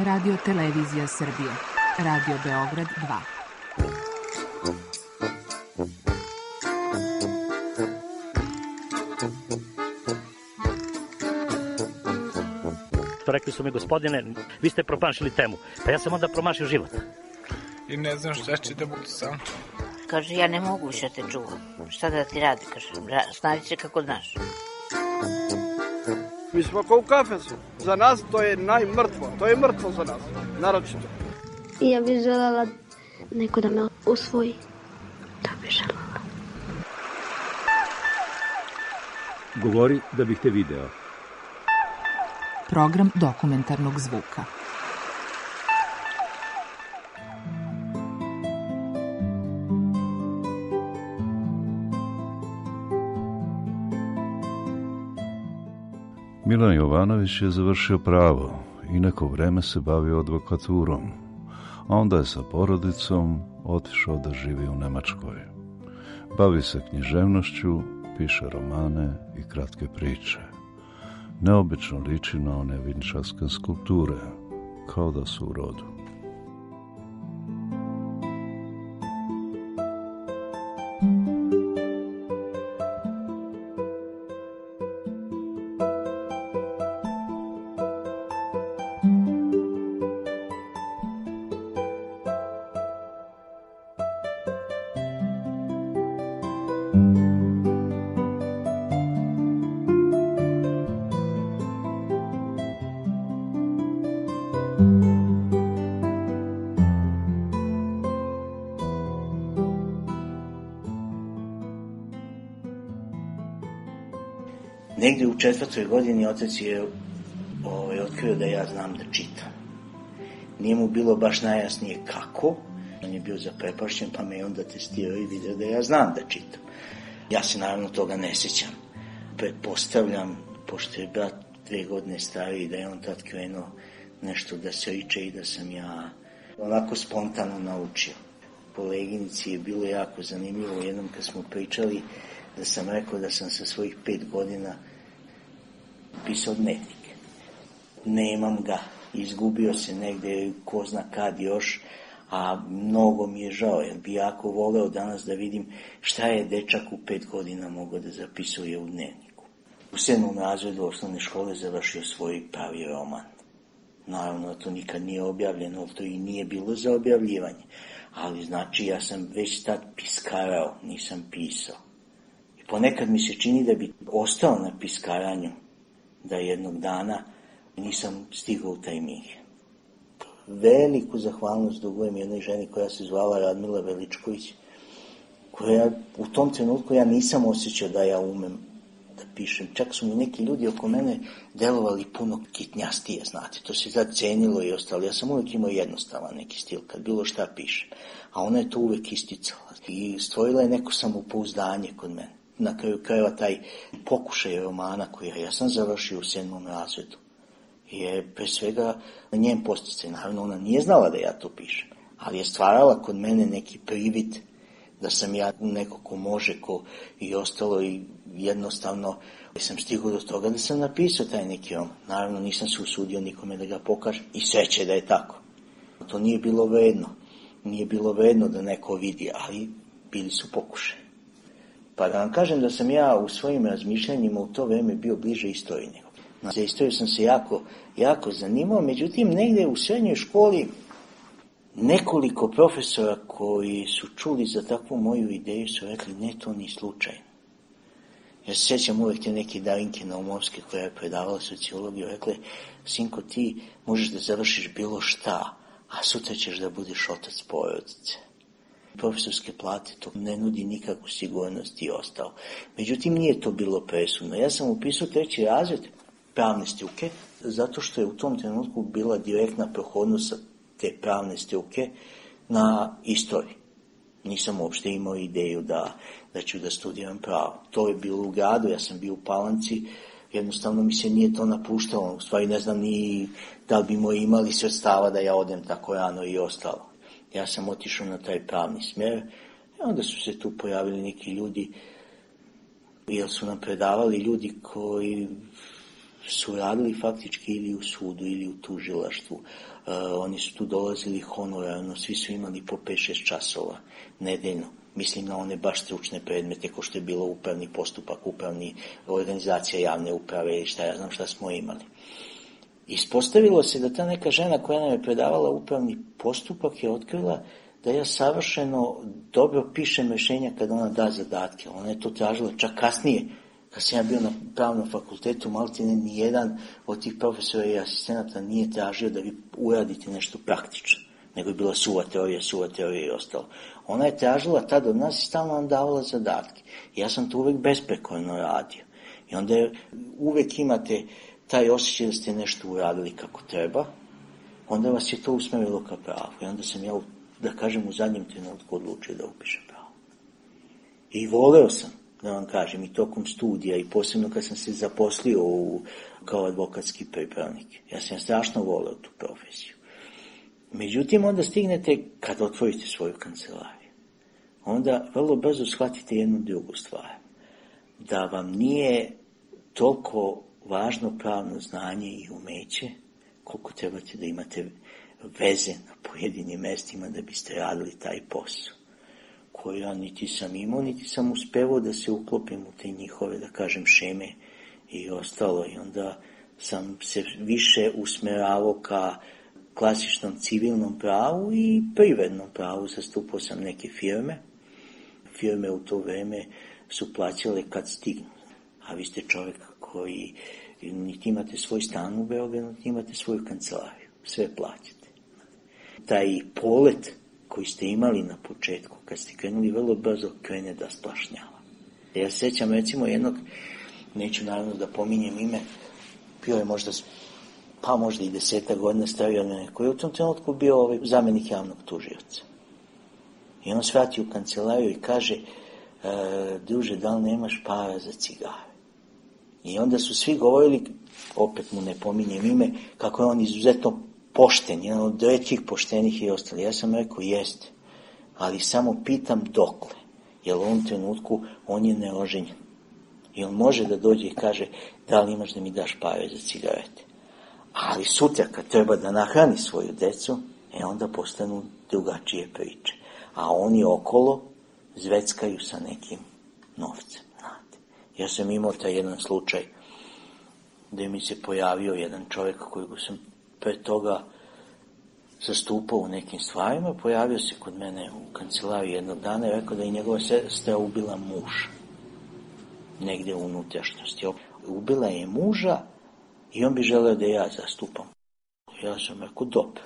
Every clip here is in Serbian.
Radio Televizija Srbije. Radio Beograd 2. Rekli su mi, gospodine, vi ste promašili temu. Pa ja sam onda promašio život. I ne znam šta će da budu sam. Kaže, ja ne mogu više te čuvam. Šta da ti radi? Kaže, snađi se kako znaš. Mi smo kao u kafesu. Za nas to je najmrtvo. To je mrtvo za nas. Naročito. I ja bih željela neko da me usvoji. Da bih željela. Govori da bih te video. Program dokumentarnog zvuka. Milan Jovanović je završio pravo i neko vreme se bavio advokaturom, a onda je sa porodicom otišao da živi u Nemačkoj. Bavi se književnošću, piše romane i kratke priče. Neobično liči na one vinčarske skulpture, kao da su u rodu. Negdje u 4. godini otac je otkrio da ja znam da čitam. Nije mu bilo baš najjasnije kako. On je bio zaprepašćen, pa me onda testirao i vidio da ja znam da čitam. Ja se naravno toga ne sjećam. Pretpostavljam, pošto je brat 2 godine stariji, da je on tad krenuo nešto da se riče i da sam ja onako spontano naučio. Koleginici je bilo jako zanimljivo jednom kad smo pričali da sam rekao da sam sa svojih 5 godina pisao dnevnik. Nemam ga, izgubio se negdje, ko zna kad još, a mnogo mi je žao, jer bi jako voleo danas da vidim šta je dečak u 5 godina mogao da zapisuje u dnevniku. U 7. razredu osnovne škole završio svoj pravi roman. Naravno, to nikad nije objavljeno, to i nije bilo za objavljivanje, ali znači ja sam već tad piskarao, nisam pisao. I ponekad mi se čini da bi ostao na piskaranju, da jednog dana nisam stigao u taj mig. Veliku zahvalnost dugujem jednoj ženi koja se zvala Radmila Veličković, koja u tom trenutku ja nisam osjećao da ja umem da pišem. Čak su mi neki ljudi oko mene delovali puno kitnjastije, znate, to se sad cenilo i ostalo. Ja sam uvijek imao jednostavan neki stil, kad bilo šta pišem, a ona je to uvijek isticala i stvorila je neko samopouzdanje kod mene. Na kraju krajeva taj pokušaj romana koji ja sam završio u 7. razredu je pre svega njen posticaj. Naravno, ona nije znala da ja to pišem, ali je stvarala kod mene neki privid da sam ja neko ko može, ko i ostalo, i jednostavno sam stigao do toga da sam napisao taj neki roman. Naravno, nisam se usudio nikome da ga pokažem i sreće da je tako. To nije bilo vredno. Nije bilo vredno da neko vidi, ali bili su pokušaj. Pa da vam kažem da sam ja u svojim razmišljanjima u to vreme bio bliže istoriji nego. Za istoriju sam se jako zanimao, međutim negdje u srednjoj školi nekoliko profesora koji su čuli za takvu moju ideju su rekli ne, to ni slučajno. Ja se sjećam uvijek te neke Darinke Naumovske koja je predavala sociologiju, rekla, sinko, ti možeš da završiš bilo šta, a sutra ćeš da budeš otac porodice. Profesorske plate to ne nudi nikakvu sigurnost i ostalo. Međutim, nije to bilo presudno. Ja sam upisao 3. razred pravne struke, zato što je u tom trenutku bila direktna prohodnost te pravne struke na istoriji. Nisam uopšte imao ideju da ću da studiram pravo. To je bilo u gradu, ja sam bio u Palanci, jednostavno mi se nije to napuštalo. U stvari ne znam ni da li bi imali sredstava da ja odem tako rano i ostalo. Ja sam otišao na taj pravni smjer i onda su se tu pojavili neki ljudi, jer su nam predavali ljudi koji su radili faktički ili u sudu ili u tužilaštvu. Oni su tu dolazili honorarno, svi su imali po 5-6 časova nedeljno. Mislim na one baš stručne predmete, ko što je bilo upravni postupak, upravni organizacija javne uprave i šta ja znam šta smo imali. Ispostavilo se da ta neka žena koja nam je predavala upravni postupak je otkrila da ja savršeno dobro pišem rješenja kad ona da zadatke. Ona je to tražila čak kasnije, kad sam ja bio na pravnom fakultetu, maltene nijedan od tih profesora i asistenata nije tražio da vi uradite nešto praktično, nego je bila suva teorija i ostalo. Ona je tražila tad od nas i stalno nam davala zadatke. Ja sam to uvek besprekorno radio. I onda uvek imate taj osjećaj da ste nešto uradili kako treba, onda vas je to usmerilo ka pravu. I onda sam ja, da kažem, u zadnjem trenutku odlučio da upišem pravo. I voleo sam, da vam kažem, i tokom studija, i posebno kad sam se zaposlio kao advokatski pripravnik. Ja sam strašno voleo tu profesiju. Međutim, onda stignete, kad otvorite svoju kancelariju, onda vrlo brzo shvatite jednu drugu stvar. Da vam nije toliko važno pravno znanje i umeće, koliko trebate da imate veze na pojedinim mestima da biste radili taj posao, koji ja niti sam imao, niti sam uspevao da se uklopim u te njihove, da kažem, šeme i ostalo. I onda sam se više usmeravao ka klasičnom civilnom pravu i privrednom pravu. Zastupao sam neke firme. Firme u to vreme su plaćale kad stignu. A vi ste čovjek koji niti imate svoj stan u Beogradu, niti imate svoju kancelariju. Sve plaćate. Taj polet koji ste imali na početku, kad ste krenuli, vrlo brzo krene da splašnjava. Ja se sjećam recimo jednog, neću naravno da pominjem ime, bio je možda i 10 godina stariji od mene, koji je u tom trenutku bio zamjenik javnog tužioca. I on svrati u kancelariju i kaže, druže, da li nemaš para za cigare? I onda su svi govorili, opet mu ne pominjem ime, kako je on izuzetno pošten, jedan od rećih poštenih i ostali. Ja sam rekao, jeste, ali samo pitam dokle, jer u ovom trenutku on je neoženjen. I on može da dođe i kaže, da li imaš da mi daš pare za cigarete? Ali sutra kad treba da nahrani svoju decu, onda postanu drugačije priče. A oni okolo zveckaju sa nekim novcem. Znate. Ja sam imao taj jedan slučaj gde mi se pojavio jedan čovjek kojeg sam pre toga zastupao u nekim stvarima, pojavio se kod mene u kancelariji jednog dana i rekao da je njegova sestra ubila muža. Negdje u unutrašnjosti. Ubila je muža i on bi želeo da ja zastupam. Ja sam rekao, dobro.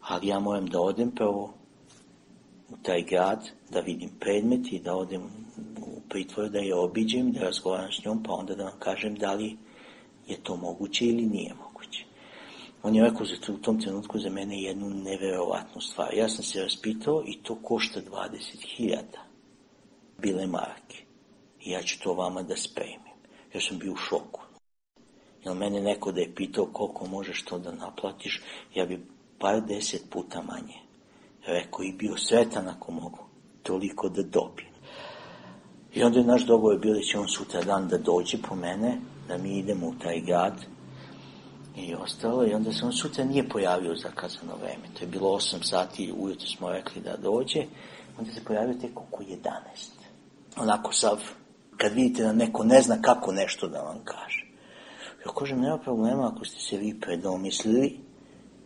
Ali ja moram da odem prvo u taj grad, da vidim predmet i da odem u pritvor, da je obiđem, da razgovaram s njom, pa onda da vam kažem da li je to moguće ili nije moguće. On je rekao u tom trenutku za mene jednu neverovatnu stvar. Ja sam se raspitao i to košta 20.000 bile marke. I ja ću to vama da spremim. Ja sam bio u šoku. Jer mene neko da je pitao koliko možeš to da naplatiš, ja bi par 10 puta manje rekao i bio sretan ako mogu toliko da dobijem. I onda je naš dogovor bio da će on sutra dan da dođe po mene, da mi idemo u taj grad i ostalo. I onda se on sutra nije pojavio zakazano vreme. To je bilo 8 sati, ujutro smo rekli da dođe. Onda se pojavio tek oko 11. Onako sav, kad vidite da neko ne zna kako nešto da vam kaže. Ja kažem, nema problema ako ste se vi predomislili,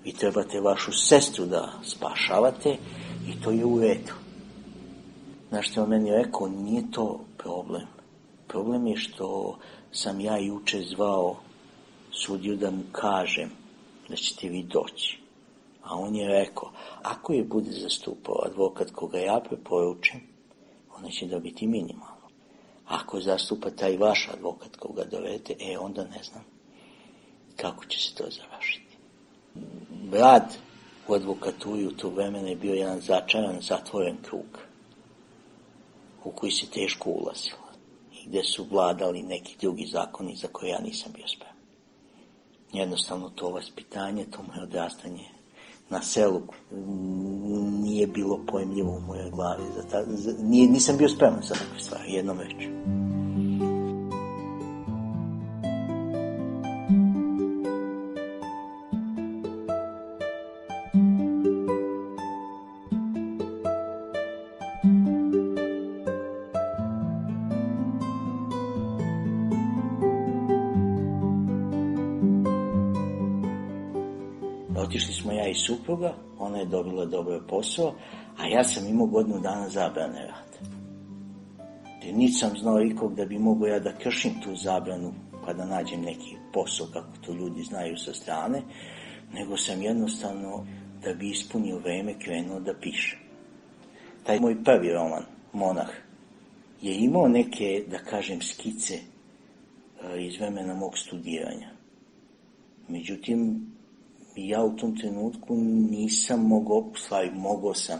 vi trebate vašu sestru da spašavate i to je u redu. Znaš što on meni rekao, nije to problem. Problem je što sam ja juče zvao sudiju da mu kažem da ćete vi doći. A on je rekao, ako je bude zastupao advokat koga ja preporučim, ona će dobiti minimalno. Ako zastupa taj vaš advokat koga dovedete, onda ne znam kako će se to završiti. Rad u advokaturi u to vremena je bio jedan začaran, zatvoren krug u koji se teško ulazilo i gde su vladali neki drugi zakoni za koje ja nisam bio spreman. Jednostavno to vaspitanje, to moje odrastanje na selu nije bilo pojmljivo u mojoj glavi. Nisam bio spreman za takve stvari, jednom rečju. Otišli smo ja i supruga, ona je dobila dobar posao, a ja sam imao godinu dana zabrane rada. Nisam znao ikog da bi mogao ja da kršim tu zabranu pa da nađem neki posao, kako to ljudi znaju sa strane, nego sam jednostavno, da bi ispunio vreme, krenuo da pišem. Taj moj prvi roman, Monah, je imao neke, da kažem, skice iz vremena mog studiranja. Međutim, ja u tom trenutku nisam mogao sam,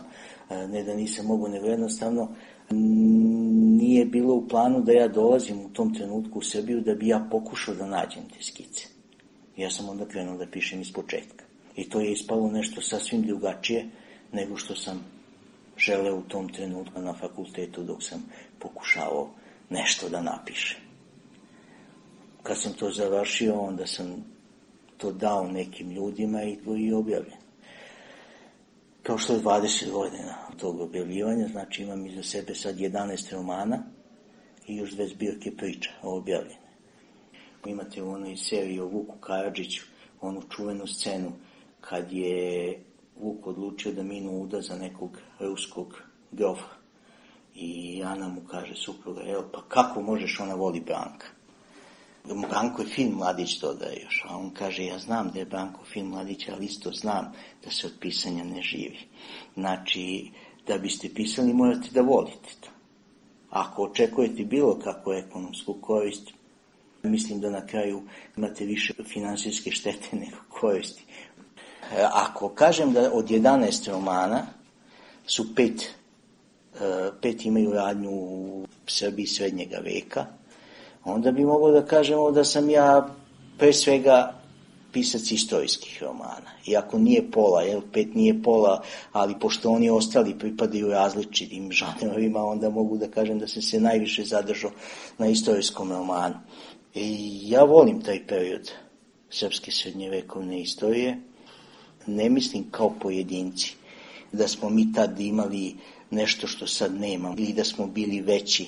ne da nisam mogao, nego jednostavno nije bilo u planu da ja dolazim u tom trenutku u Srbiju da bi ja pokušao da nađem te skice. Ja sam onda krenuo da pišem iz početka. I to je ispalo nešto sasvim drugačije nego što sam želeo u tom trenutku na fakultetu dok sam pokušavao nešto da napišem. Kad sam to završio, onda sam to dao nekim ljudima i objavljen. Prošlo je 20 godina od tog objavljivanja, znači imam iza sebe sad 11 romana i još 2 zbirke priča objavljene. Imate u onoj seriji o Vuku Karadžiću, onu čuvenu scenu kad je Vuk odlučio da minu uda za nekog ruskog grofa. I Ana mu kaže, supruga, pa kako možeš, ona voli Branka. Branko je fin mladić, dodaje još, a on kaže, ja znam da je Branko fin mladić, ali isto znam da se od pisanja ne živi. Znači, da biste pisali, morate da volite to. Ako očekujete bilo kakvu ekonomsku korist, mislim da na kraju imate više finansijske štete nego koristi. Ako kažem da od 11 romana su 5 imaju radnju u Srbiji srednjega veka, onda bi mogao da kažemo da sam ja pre svega pisac istorijskih romana. Iako nije pola, 5 nije pola, ali pošto oni ostali pripadaju različitim žanrovima, onda mogu da kažem da sam se najviše zadržao na istorijskom romanu. I ja volim taj period srpske srednjevekovne istorije. Ne mislim kao pojedinci da smo mi tad imali nešto što sad nemamo ili da smo bili veći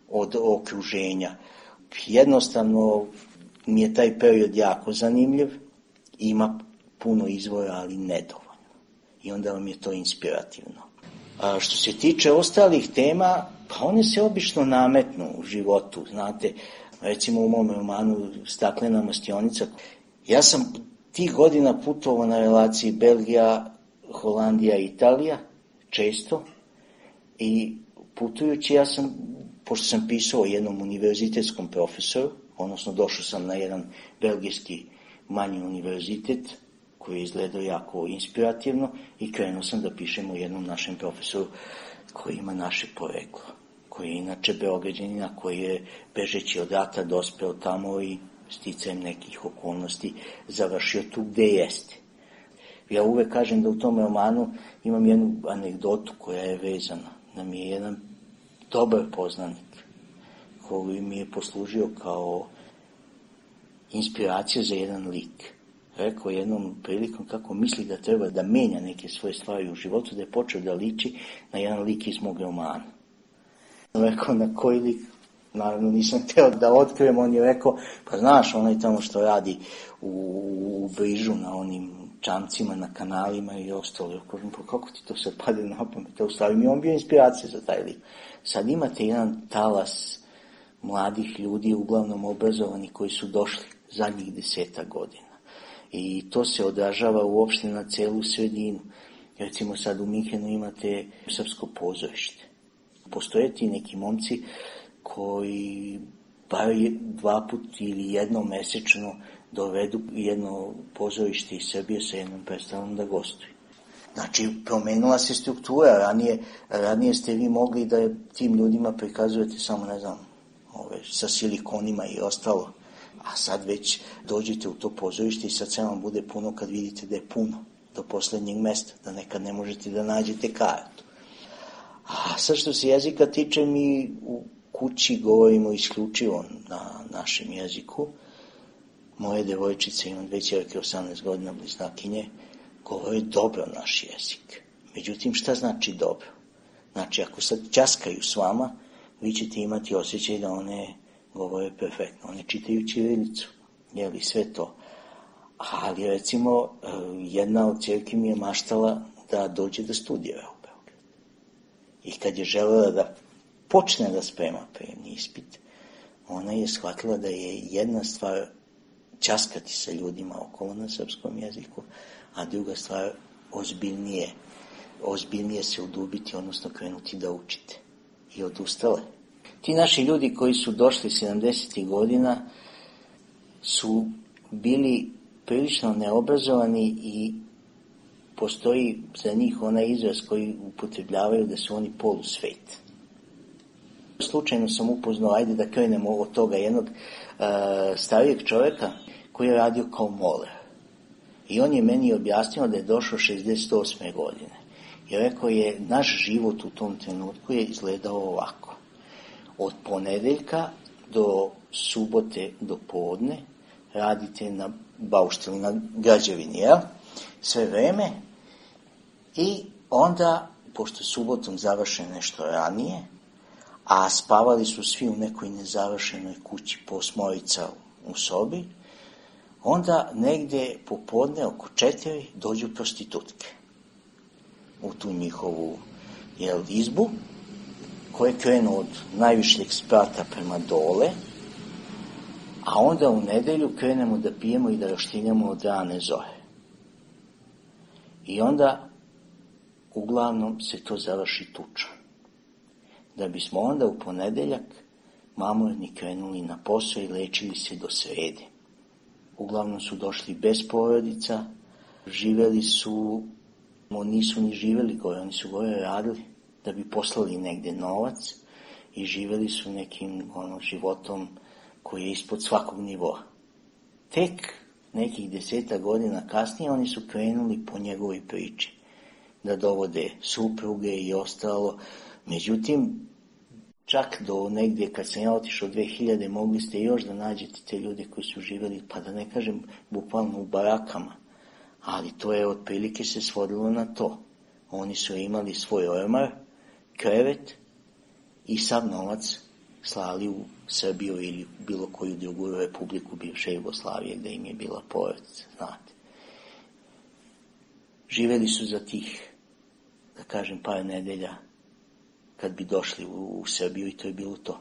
od okruženja. Jednostavno mi je taj period jako zanimljiv, ima puno izvora, ali nedovoljno. I onda vam je to inspirativno. A što se tiče ostalih tema, pa one se obično nametnu u životu, znate. Recimo u mom romanu Staklena mastionica. Ja sam tih godina putovao na relaciji Belgija, Holandija i Italija, često. I putujući ja sam, pošto sam pisao o jednom univerzitetskom profesoru, odnosno došao sam na jedan belgijski manji univerzitet, koji je izgledao jako inspirativno i krenuo sam da pišem o jednom našem profesoru koji ima naše poreklo, koji je inače Beograđanina, koji je bežeći od rata dospeo tamo i sticajem nekih okolnosti završio tu gde jeste. Ja uvek kažem da u tom romanu imam jednu anegdotu koja je vezana, da mi je jedan dobar poznanik koji mi je poslužio kao inspiracija za jedan lik. Rekao jednom prilikom kako misli da treba da menja neke svoje stvari u životu, da je počeo da liči na jedan lik iz mog romana. Rekao na koji lik, naravno nisam hteo da otkrijem, on je rekao, pa znaš, onaj tamo što radi u Brižu na onim čamcima, na kanalima i ostalo. Ja kažem, pa kako ti to sad pade na pamet? U stvari mi je on bio inspiracija za taj lik. Sad imate jedan talas mladih ljudi, uglavnom obrazovani, koji su došli zadnjih 10 godina. I to se odražava uopšte na celu sredinu. Recimo sad u Minhenu imate srpsko pozorište. Postoje ti neki momci koji bar 2 puta ili jednom mesečno dovedu jedno pozorište iz Srbije sa jednom predstavom da gostuju. Znači, promenila se struktura. Ranije ste vi mogli da tim ljudima prikazujete samo, ne znam, sa silikonima i ostalo. A sad već dođete u to pozorište i sad sve vam bude puno kad vidite da je puno do poslednjeg mesta, da nekad ne možete da nađete kartu. A sad što se jezika tiče, mi u kući govorimo isključivo na našem jeziku. Moje devojčice, imam 2 ćerke, 18 godina, bliznakinje, govore dobro naš jezik. Međutim, šta znači dobro? Znači, ako sad ćaskaju s vama, vi ćete imati osjećaj da one govore perfektno. One čitaju ćirilicu, jeli, sve to. Ali recimo jedna od ćerki mi je maštala da dođe da studira u Beograd. I kad je želela da počne da sprema prijemni ispit, ona je shvatila da je jedna stvar ćaskati sa ljudima okolo na srpskom jeziku, a druga stvar ozbiljnije se udubiti, odnosno krenuti da učite. I odustale. Ti naši ljudi koji su došli 70. godina su bili prilično neobrazovani i postoji za njih onaj izraz koji upotrebljavaju da su oni polusvet. Slučajno sam upoznao, ajde da krenemo od toga, jednog starijeg čovjeka koji je radio kao moler. I on je meni objasnio da je došao 68. godine. I rekao je, naš život u tom trenutku je izgledao ovako. Od ponedeljka do subote do podne radite na baušteli, na građevini, jel? Sve vreme. I onda, pošto subotom završe nešto ranije, a spavali su svi u nekoj nezavršenoj kući po 8 u sobi, onda negde popodne oko 4 dođu prostitutke u tu njihovu izbu, koje krenu od najvišljeg sprata prema dole, a onda u nedelju krenemo da pijemo i da roštiljamo od rane zore. I onda uglavnom se to završi tučom. Da bismo onda u ponedeljak mamurni krenuli na posao i lečili se do srede. Uglavnom su došli bez porodica, živeli su, nisu ni živeli gore, oni su gore radili da bi poslali negde novac i živeli su nekim životom koji je ispod svakog nivoa. Tek nekih 10 godina kasnije oni su krenuli po njegovoj priči da dovode supruge i ostalo. Međutim, čak do negdje kad sam ja otišao 2000 mogli ste još da nađete te ljude koji su živjeli, pa da ne kažem bukvalno u barakama, ali to je otprilike se svodilo na to. Oni su imali svoj ormar, krevet i sav novac slali u Srbiju ili bilo koju drugu republiku bivše Jugoslavije gdje im je bila porodica, znate. Živjeli su za tih, da kažem, par nedelja kad bi došli u Srbiju i to je bilo to.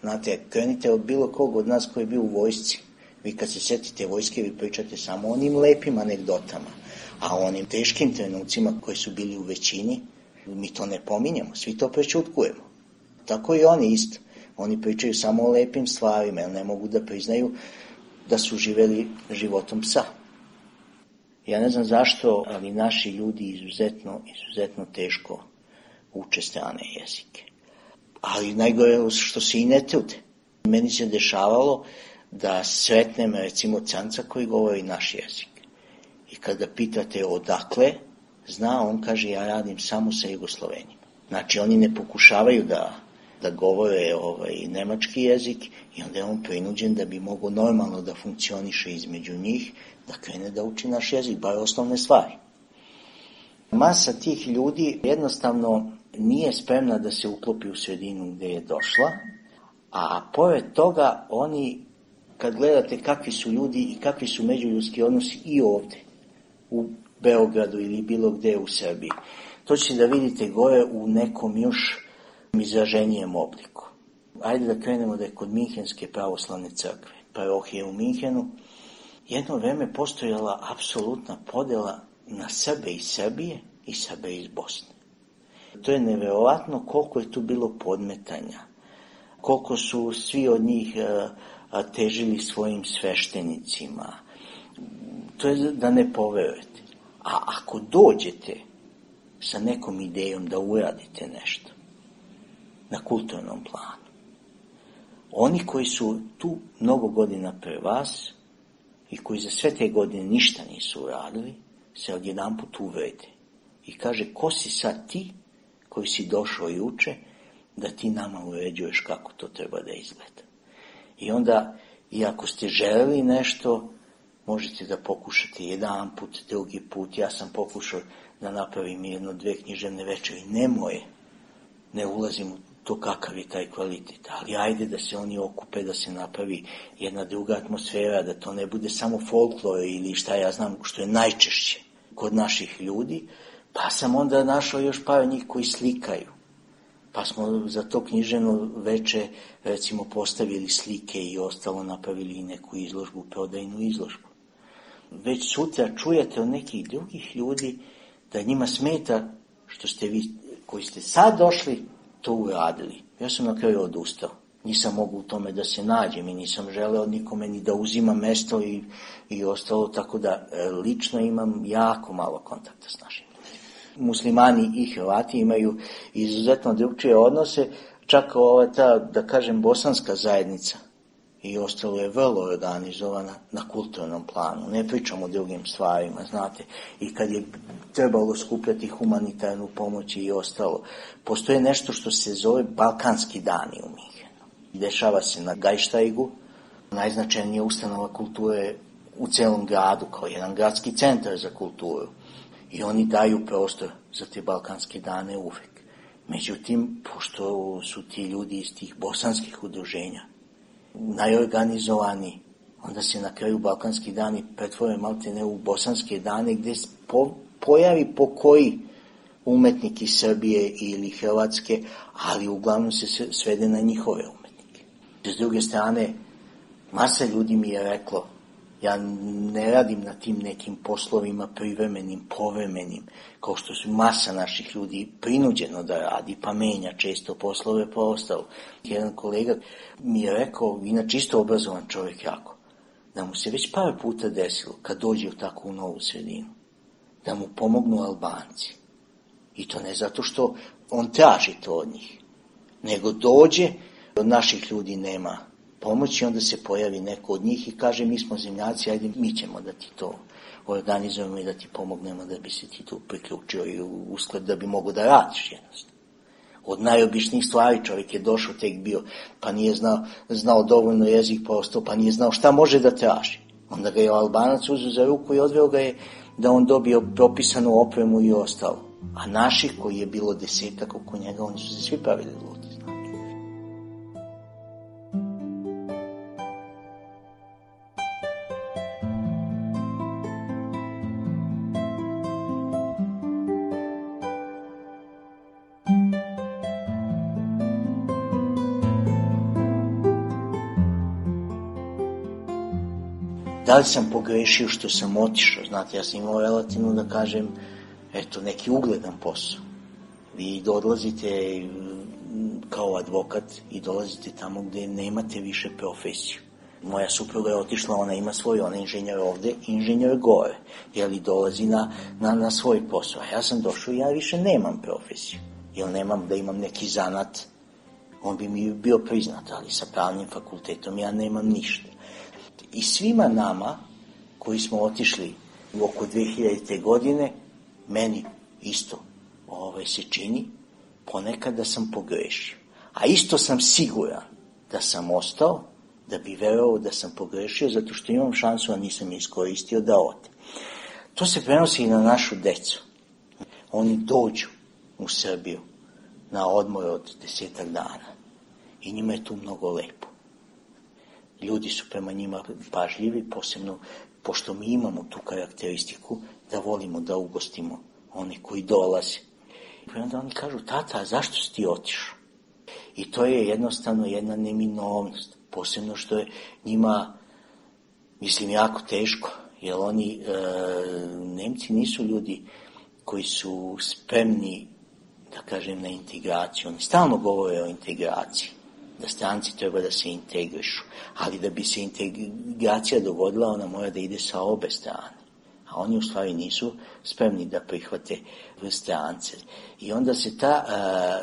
Znate, krenite od bilo kog od nas koji je bio u vojsci. Vi kad se sjetite vojske, vi pričate samo o onim lepim anegdotama, a o onim teškim trenucima koji su bili u većini, mi to ne pominjamo, svi to prečutkujemo. Tako i oni isto. Oni pričaju samo o lepim stvarima, jer ne mogu da priznaju da su živeli životom psa. Ja ne znam zašto, ali naši ljudi izuzetno teško uče strane jezike. Ali najgore je što se i ne trude. Meni se dešavalo da sretnem recimo Canca koji govori naš jezik. I kada pitate odakle, zna, on kaže ja radim samo sa Jugoslovenima. Znači oni ne pokušavaju da govore nemački jezik i onda je on prinuđen da bi mogao normalno da funkcioniše između njih, da krene da uči naš jezik, bar osnovne stvari. Masa tih ljudi jednostavno nije spremna da se uklopi u sredinu gdje je došla, a pored toga oni, kad gledate kakvi su ljudi i kakvi su međuljudski odnosi i ovdje, u Beogradu ili bilo gdje u Srbiji, to ćete da vidite gore u nekom još izraženijem obliku. Ajde da krenemo da je kod Minhenske pravoslavne crkve, parohije u Minhenu, jedno vreme postojala apsolutna podjela na Srbe iz Srbije i Srbe iz Bosne. To je neverovatno koliko je tu bilo podmetanja, koliko su svi od njih težili svojim sveštenicima. To je da ne poverujete. A ako dođete sa nekom idejom da uradite nešto na kulturnom planu, oni koji su tu mnogo godina pre vas i koji za sve te godine ništa nisu uradili, se odjedanput uvrede i kaže, ko si sad ti koji si došao juče da ti nama uređuješ kako to treba da izgleda. I onda, i ako ste želeli nešto, možete da pokušate jedan put, drugi put. Ja sam pokušao da napravim 1-2 književne večeri, ne moje. Ne ulazim to kakav je taj kvalitet, ali ajde da se oni okupe, da se napravi jedna druga atmosfera, da to ne bude samo folklor ili šta ja znam što je najčešće kod naših ljudi, pa sam onda našao još par njih koji slikaju. Pa smo za to književno veče recimo postavili slike i ostalo, napravili i neku izložbu, prodajnu izložbu. Već sutra čujete od nekih drugih ljudi da njima smeta što ste vi koji ste sad došli to uradili. Ja sam na kraju odustao. Nisam mogu u tome da se nađem i nisam želeo nikome ni da uzima mesto i ostalo, tako da lično imam jako malo kontakta s našim ljudima. Muslimani i Hrvati imaju izuzetno drugčije odnose, čak ta, da kažem, bosanska zajednica i ostalo je vrlo organizovana na kulturnom planu. Ne pričamo o drugim stvarima, znate. I kad je trebalo skupljati humanitarnu pomoć i ostalo, postoje nešto što se zove Balkanski dani u Minhenu. Dešava se na Gajštajgu, najznačajnija ustanova kulture u celom gradu, kao jedan gradski centar za kulturu. I oni daju prostor za te Balkanske dane uvek. Međutim, pošto su ti ljudi iz tih bosanskih udruženja najorganizovaniji, onda se na kraju Balkanski dani pretvore maltene u bosanske dane gdje pojavi po koji umetnik iz Srbije ili Hrvatske, ali uglavnom se svede na njihove umetnike. S druge strane, masa ljudi mi je reklo, ja ne radim na tim nekim poslovima privremenim, povremenim, kao što su masa naših ljudi prinuđeno da radi, pa menja često poslove pa ostalo. Jedan kolega mi je rekao, inače isto obrazovan čovjek jako, da mu se već par puta desilo, kad dođe u takvu novu sredinu, da mu pomognu Albanci. I to ne zato što on traži to od njih, nego dođe, od naših ljudi nema pomoći, onda se pojavi neko od njih i kaže, mi smo zemljaci, ajde mi ćemo da ti to organizujemo i da ti pomognemo da bi se ti tu priključio i usklad da bi mogo da radiš jednostavno. Od najobičnijih stvari čovjek je došao, tek bio, pa nije znao dovoljno jezik, pa ostao, pa nije znao šta može da traži. Onda ga je Albanac uzeo za ruku i odveo ga je da on dobio propisanu opremu i ostalo. A naših, koji je bilo 10 oko njega, oni su se svi pravili ludi. Da li sam pogrešio što sam otišao? Znate, ja sam imao relativno, da kažem, neki ugledan posao. Vi odlazite kao advokat i dolazite tamo gdje nemate više profesiju. Moja supruga je otišla, ona ima svoj, ona je inženjer ovdje, inženjer gore, jer dolazi na svoj posao. A ja sam došao i ja više nemam profesiju, jer nemam da imam neki zanat, on bi mi bio priznat, ali sa pravnim fakultetom ja nemam ništa. I svima nama koji smo otišli u oko 2000. godine, meni isto se čini ponekad da sam pogrešio. A isto sam siguran da sam ostao, da bi verovao da sam pogrešio, zato što imam šansu, a nisam iskoristio da ode. To se prenosi i na našu decu. Oni dođu u Srbiju na odmor od 10 dana i njima je tu mnogo lepo. Ljudi su prema njima pažljivi, posebno pošto mi imamo tu karakteristiku da volimo da ugostimo oni koji dolaze. I onda oni kažu, tata, zašto si ti otišao? I to je jednostavno jedna neminovnost, posebno što je njima, mislim, jako teško, jer oni, Nemci nisu ljudi koji su spremni, da kažem, na integraciju. Oni stalno govore o integraciji, da stranci treba da se integrišu, ali da bi se integracija dogodila, ona mora da ide sa obe strane. A oni u stvari nisu spremni da prihvate strance. I onda se ta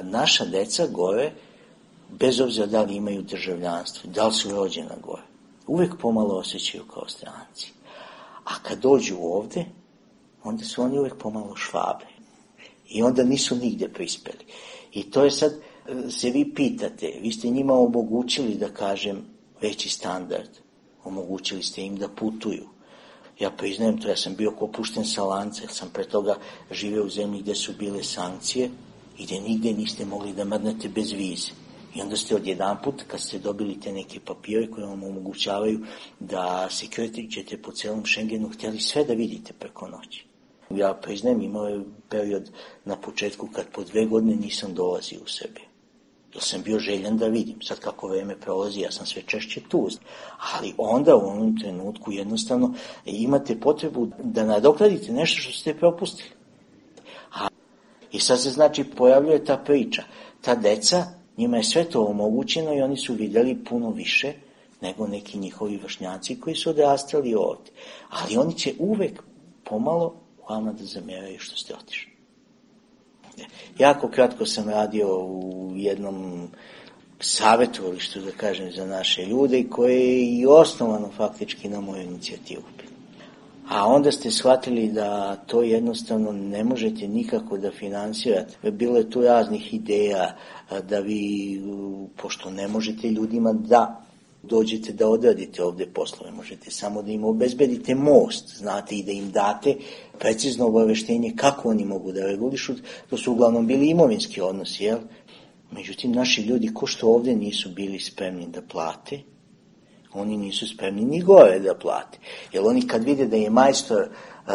naša deca gore, bez obzira da li imaju državljanstvo, da li su rođena gore, uvek pomalo osjećaju kao stranci. A kad dođu ovde, onda su oni uvek pomalo švabe. I onda nisu nigde prispeli. I to je sad, se vi pitate, vi ste njima omogućili, da kažem, veći standard. Omogućili ste im da putuju. Ja priznajem to, ja sam bio ko pušten sa lanca, jer sam pre toga živeo u zemlji gdje su bile sankcije i da nigde niste mogli da mrdnete bez vize. I onda ste odjedanput, kad ste dobili te neke papire koje vam omogućavaju da se krećete po celom Schengenu, htjeli sve da vidite preko noći. Ja priznajem, imao je period na početku kad po 2 godine nisam dolazio u Srbiju. Jer sam bio željan da vidim. Sad kako vreme prolazi, ja sam sve češće tu. Ali onda u onom trenutku jednostavno imate potrebu da nadoknadite nešto što ste propustili. I sad se znači pojavljuje ta priča. Ta deca, njima je sve to omogućeno i oni su vidjeli puno više nego neki njihovi vršnjaci koji su odrastali ovdje. Ali oni će uvek pomalo vama da zamjeraju što ste otišli. Jako kratko sam radio u jednom savjetovalištu, da kažem, za naše ljude koje je i osnovano faktički na moju inicijativu. A onda ste shvatili da to jednostavno ne možete nikako da finansirate. Bilo je tu raznih ideja da vi, pošto ne možete ljudima da dođete da odradite ovde poslove, možete samo da im obezbedite most, znate, i da im date precizno obaveštenje kako oni mogu da regulišu. To su uglavnom bili imovinski odnosi, jel? Međutim, naši ljudi, ko što ovde nisu bili spremni da plate, oni nisu spremni ni gore da plate. Jer oni kad vide da je majstor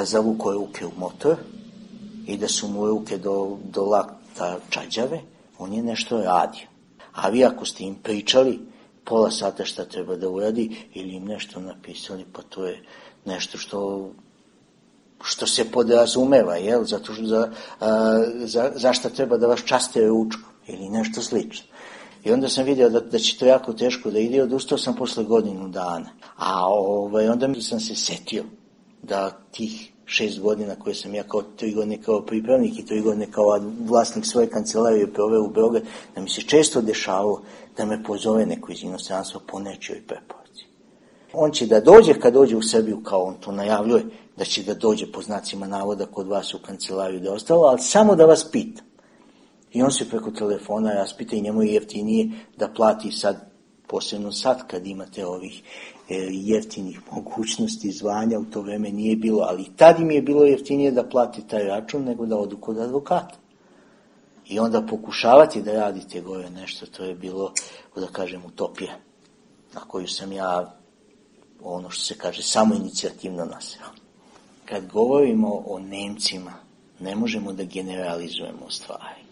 zavukao ruke u motor i da su mu ruke do lakta čađave, on je nešto radio. A vi ako ste im pričali pola sata šta treba da uradi ili im nešto napisali, pa to je nešto što se podrazumeva, jel? Zato što zašto treba da vas časte ručkom ili nešto slično. I onda sam vidio da će to jako teško da ide, odustao sam posle godinu dana. A onda sam se setio da tih 6 godina koje sam ja kao 3 godine kao pripravnik i 3 godine kao vlasnik svoje kancelarije proveo u Beograd, da mi se često dešavalo da me pozove neko iz inostranstva po nečijoj preporuci. On će da dođe, kad dođe u Srbiju, kao on to najavljuje, da će da dođe po znacima navoda kod vas u kancelariju da je ostalo, ali samo da vas pita. I on se preko telefona raspita i njemu je jeftinije da plati sad, posebno sad kad imate ovih jeftinih mogućnosti zvanja, u to vreme nije bilo, ali tad im je bilo jeftinije da plati taj račun nego da odu kod advokata. I onda pokušavati da radite gore nešto, to je bilo, da kažem, utopija, na koju sam ja, ono što se kaže, samo inicijativno naseo. Kad govorimo o Nemcima, ne možemo da generalizujemo stvari.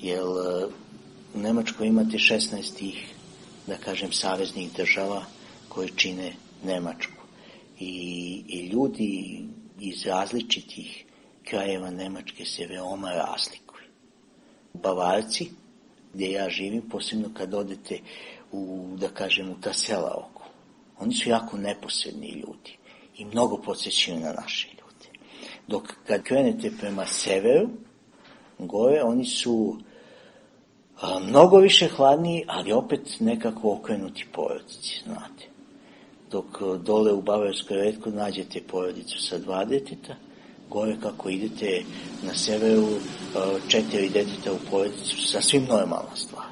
Jer u Nemačkoj imate 16 tih, da kažem, saveznih država koje čine Nemačku. I ljudi iz različitih krajeva Nemačke se veoma razlikuju. Bavarci, gdje ja živim, posebno kad odete da kažem, u ta sela oko, oni su jako neposredni ljudi i mnogo podsjećaju na naše ljude. Dok kad krenete prema severu, gore, oni su mnogo više hladniji, ali opet nekako okrenuti porodici, znate. Dok dole u Bavarskoj retko nađete porodicu sa 2 deteta, gore kako idete na severu 4 deteta u porodici su sasvim normalna stvar.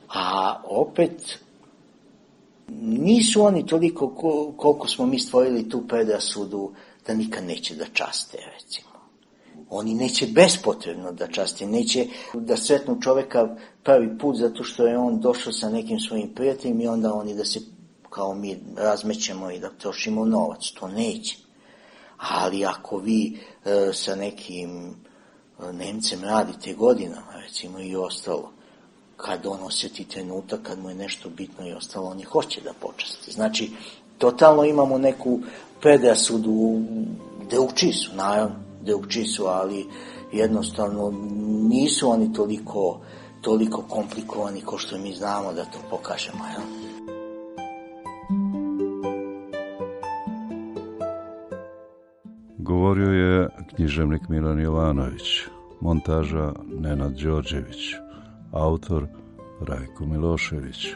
A opet nisu oni toliko koliko smo mi stvorili tu predrasudu da nikad neće da časte, recimo. Oni neće bespotrebno da časte, neće da sretnu čoveka prvi put zato što je on došao sa nekim svojim prijateljima i onda oni da se kao mi razmećemo i da trošimo novac, to neće. Ali ako vi sa nekim Nemcem radite godinama, recimo i ostalo, kad on osjeti trenutak, kad mu je nešto bitno i ostalo, oni hoće da počasti. Znači, totalno imamo neku predrasudu, drugčiji su, naravno, drugčiji su, ali jednostavno nisu oni toliko komplikovani ko što mi znamo da to pokažemo, jel? Govorio je književnik Milan Jovanović, montaža Nenad Đorđević, autor Rajko Milošević.